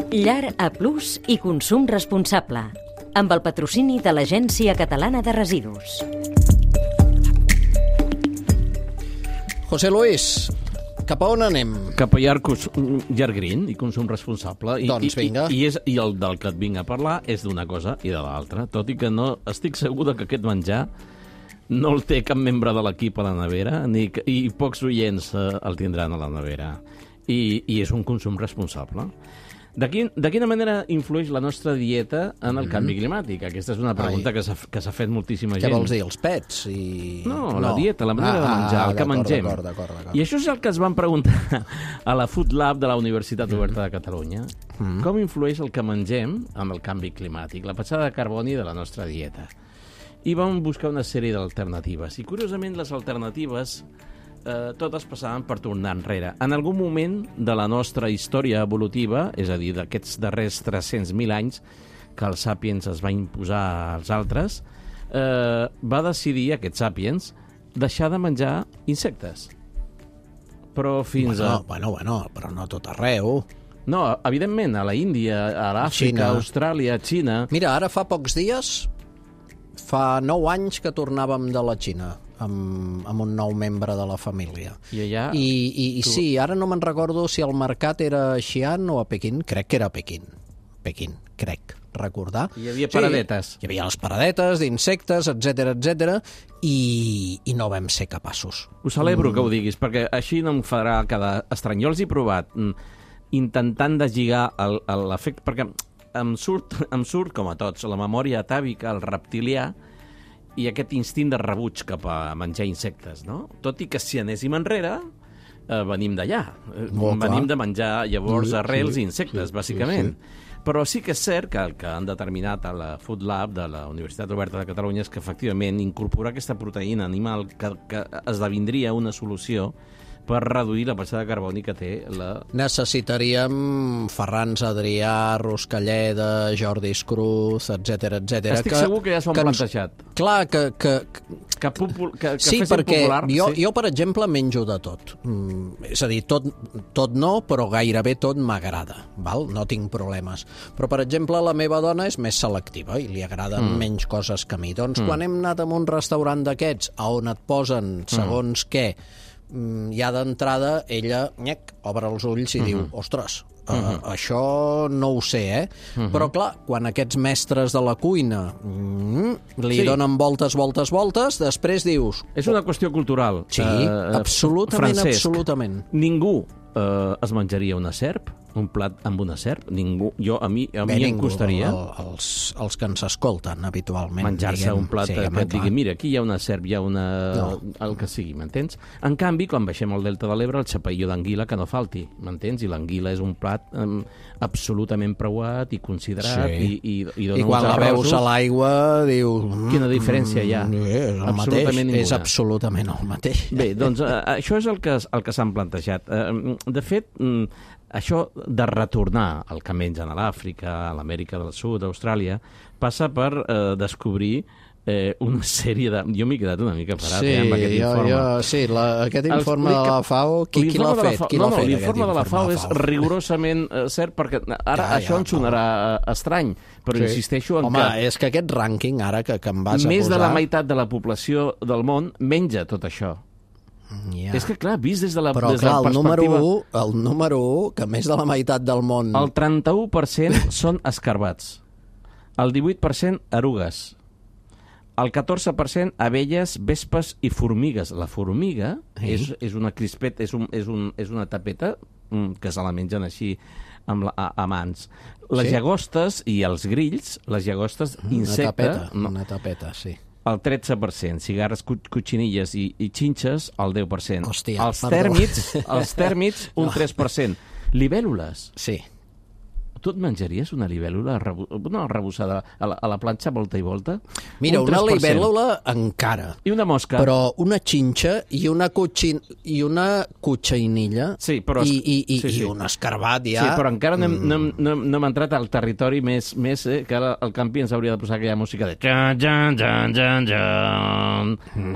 Llar A+ i consum responsable, amb el patrocini de l'Agència Catalana de Residus. José Luis, cap a on anem? Cap a llar green i consum responsable. Doncs vinga. I el del que et vinc a parlar és d'una cosa i de l'altra, tot i que no estic segur que aquest menjar no el té cap membre de l'equip a la nevera i pocs oients el tindran a la nevera. I és un consum responsable. De quina manera influeix la nostra dieta en el canvi climàtic? Aquesta és una pregunta que s'ha fet moltíssima gent. Què vols dir, els pets? No, la dieta, la manera de menjar, el que mengem. D'acord. I això és el que es van preguntar a la Food Lab de la Universitat Oberta de Catalunya. Com influeix el que mengem en el canvi climàtic, la petjada de carboni de la nostra dieta? I vam buscar una sèrie d'alternatives. I, curiosament, les alternatives totes passaven per tornar enrere. En algun moment de la nostra història evolutiva, és a dir, d'aquests darrers 300.000 anys que els sàpiens es va imposar als altres, va decidir, aquest sàpiens, deixar de menjar insectes. Però fins Bueno, però no tot arreu. No, evidentment, a la Índia, a l'Àfrica, a Austràlia, a Xina... Mira, ara fa pocs dies, fa 9 anys que tornàvem de la Xina, amb un nou membre de la família. I allà... Sí, ara no me'n recordo si el mercat era a Xi'an o a Pequín. Crec que era a Pequín, crec recordar. Hi havia paradetes. Sí, hi havia les paradetes d'insectes, etc, i no vam ser capaços. Ho celebro que ho diguis, perquè així no em farà quedar estrany. Jo els he provat intentant deslligar l'efecte, perquè em surt, com a tots, la memòria atàvica, el reptilià, i aquest instint de rebuig cap a menjar insectes, no? Tot i que si anéssim enrere, venim d'allà. Venim de menjar llavors arrels i insectes, bàsicament. Però sí que és cert que el que han determinat a la Food Lab de la Universitat Oberta de Catalunya és que, efectivament, incorporar aquesta proteïna animal que esdevindria una solució per reduir la petjada de carboni que té la... Necessitaríem Ferran Adrià, Ruscalleda, Jordi Cruz, etc. Estic segur que ja s'ho han plantejat. Clar, que sí, perquè popular, jo, per exemple, menjo de tot. És a dir, tot no, però gairebé tot m'agrada. No tinc problemes. Però, per exemple, la meva dona és més selectiva i li agraden menys coses que a mi. Doncs quan hem anat a un restaurant d'aquests on et posen segons què, ja d'entrada ella obre els ulls i diu, ostres, això no ho sé, Però clar, quan aquests mestres de la cuina li donen voltes, després dius... És una qüestió cultural. Sí, absolutament. Ningú es menjaria una serp, un plat amb una serp? Ningú. A mi em costaria... Els que ens escolten habitualment. Menjar-se un plat que et digui, mira, aquí hi ha una serp, hi ha una... el que sigui, m'entens? En canvi, quan baixem al Delta de l'Ebre, el xapeïó d'anguila que no falti, m'entens? I l'anguila és un plat absolutament preuat i considerat i dona quan la veus a l'aigua dius... Quina diferència hi ha? És el mateix, és absolutament el mateix. Bé, doncs això és el que s'han plantejat. De fet, això de retornar al que mengen a l'Àfrica, a l'Amèrica del Sud, a Austràlia, passa per descobrir una sèrie de... Jo m'he quedat una mica parat amb aquest informe. Aquest informe de la FAO, qui l'ha fet? L'informe de la FAO és rigorosament cert, perquè ara això ens sonarà estrany, però insisteixo en que... Home, és que aquest rànquing ara que em vas a posar... Més de la meitat de la població del món menja tot això. És que, clar, vist des de la perspectiva... Però, el número 1, que més de la meitat del món... El 31% són escarbats, el 18% erugues, el 14% abelles, vespes i formigues. La formiga és una crispeta, és una tapeta que se la mengen així a mans. Les llagostes i els grills, les llagostes insecte... Una tapeta, sí. El 13%, cigarres, cotxinilles i xinxes, el 10%. Hòstia, els tèrmits, un 3%. Libèl·lules. Sí. Tu et menjaries una libèl·lula arrebossada a la planxa volta i volta? Mira, una libèl·lula encara. I una mosca. Però una xinxa i una cotxinilla i un escarbat ja... Sí, però encara no hem entrat al territori més que ara el campi ens hauria de posar aquella música de...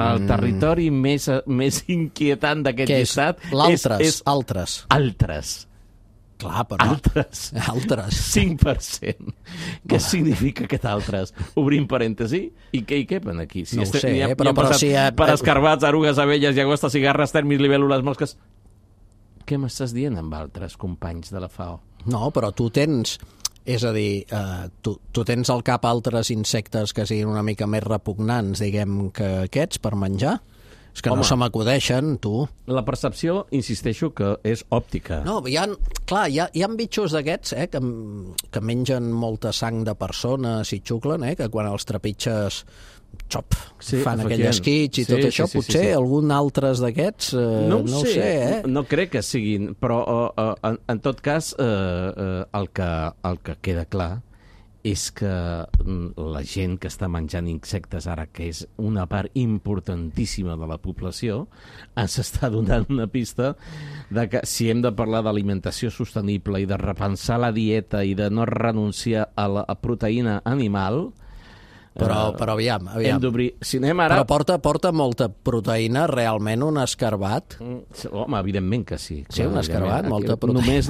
El territori més inquietant d'aquest llistat és... Altres. Clar, però... Altres. 5%. Què significa aquest altres? Obrim parèntesi, i què hi quepen aquí? No ho sé, però si... Per escarbats, arugues, abelles, llagostes, cigarres, tèrmits, libèl·lules, mosques... Què m'estàs dient amb altres companys de la FAO? No, però tu tens... És a dir, tu tens al cap altres insectes que siguin una mica més repugnants, diguem, que aquests per menjar? És que no se m'acudeixen, tu. La percepció, insisteixo, que és òptica. No, hi ha bitxos d'aquests que mengen molta sang de persones i xuclen, que quan els trepitges fan aquell esquitx i tot això, potser algun altres d'aquests, no ho sé. No crec que siguin, però en tot cas el que queda clar és que la gent que està menjant insectes ara, que és una part importantíssima de la població, ens està donant una pista de que si hem de parlar d'alimentació sostenible i de repensar la dieta i de no renunciar a la proteïna animal... Però aviam. Hem d'obrir... Si anem ara... Però porta molta proteïna, realment, un escarbat? Home, evidentment que sí. Sí, un escarbat, molta proteïna. Només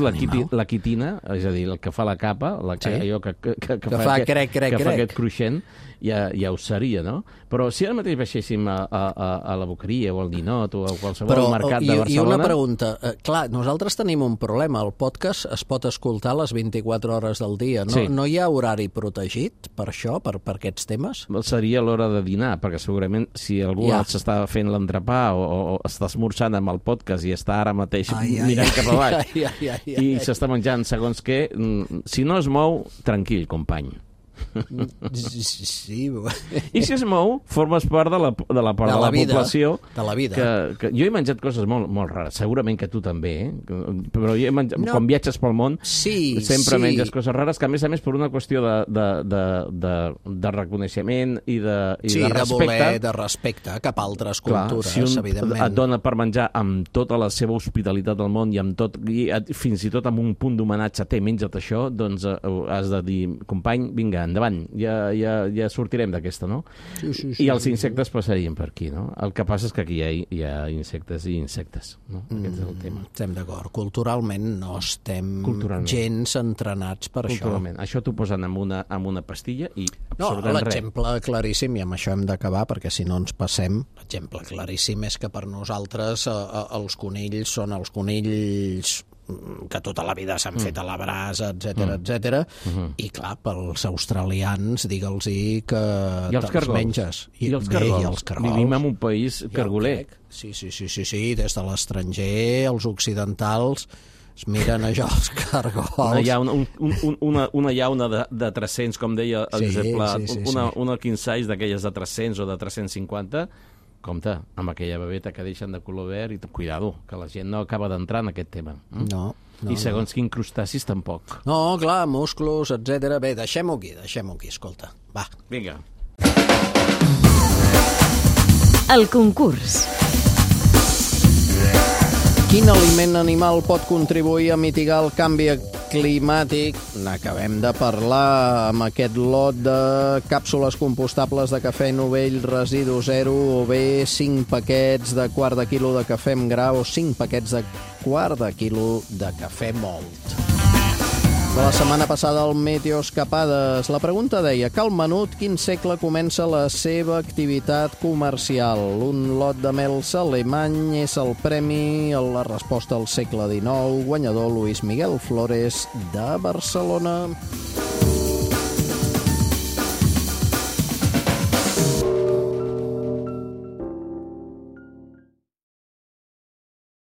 la quitina, és a dir, el que fa la capa, allò que fa crec. Que fa aquest cruixent, ja ho seria, no? Però si ara mateix baixéssim a la Boqueria o al Ninot o a qualsevol mercat de Barcelona... I una pregunta. Clar, nosaltres tenim un problema. El podcast es pot escoltar a les 24 hores del dia. No hi ha horari protegit per això, per aquests temes? Seria l'hora de dinar, perquè segurament si algú s'està fent l'entrepà o està esmorzant amb el podcast i està ara mateix mirant cap a baix i s'està menjant segons què, si no es mou, tranquil, company. Sí. I si es mou, formes part de la població. De la vida. Que jo he menjat coses molt rares, segurament que tu també, però jo he menjat, quan viatges pel món sempre menges coses rares, que a més per una qüestió de reconeixement i de respecte. De respecte cap a altres cultures, evidentment. Si un et dona per menjar amb tota la seva hospitalitat del món i fins i tot amb un punt d'homenatge, menja't això, doncs has de dir, company, vinga, endavant, ja sortirem d'aquesta, no? Sí. I els insectes passarien per aquí, no? El que passa és que aquí hi ha insectes i insectes, no? Aquest és el tema. Estem d'acord. Culturalment no estem gens entrenats per això. Això t'ho posen amb una pastilla i absolutament res. L'exemple claríssim, i amb això hem d'acabar, perquè si no ens passem, l'exemple claríssim és que per nosaltres els conills són els conills que tota la vida s'han fet a la brasa, etc. I clar, pels australians, digue'ls-hi que te'ls menges. I els cargols. Vivim en un país cargoler. Sí, des de l'estranger, els occidentals es miren allò, els cargols. Una llauna de 300, com deia el Josep Pla, una king size d'aquelles de 300 o de 350, compte, amb aquella bebeta que deixen de color verd i cuidado, que la gent no acaba d'entrar en aquest tema. No. I segons quin crustacis tampoc. No, clar, musclos, etc. Bé, deixem-ho aquí, escolta. Va. Vinga. El concurs. Quin aliment animal pot contribuir a mitigar el canvi climàtic? N'acabem de parlar amb aquest lot de càpsules compostables de cafè Novell Residu Zero, o bé 5 paquets de quart de quilo de cafè amb gra o 5 paquets de quart de quilo de cafè mòlt. De la setmana passada al Meteoscapades, la pregunta deia: cal menut, quin segle comença la seva activitat comercial? Un lot de mels alemany és el premi a la resposta al segle XIX, guanyador Luis Miguel Flores de Barcelona.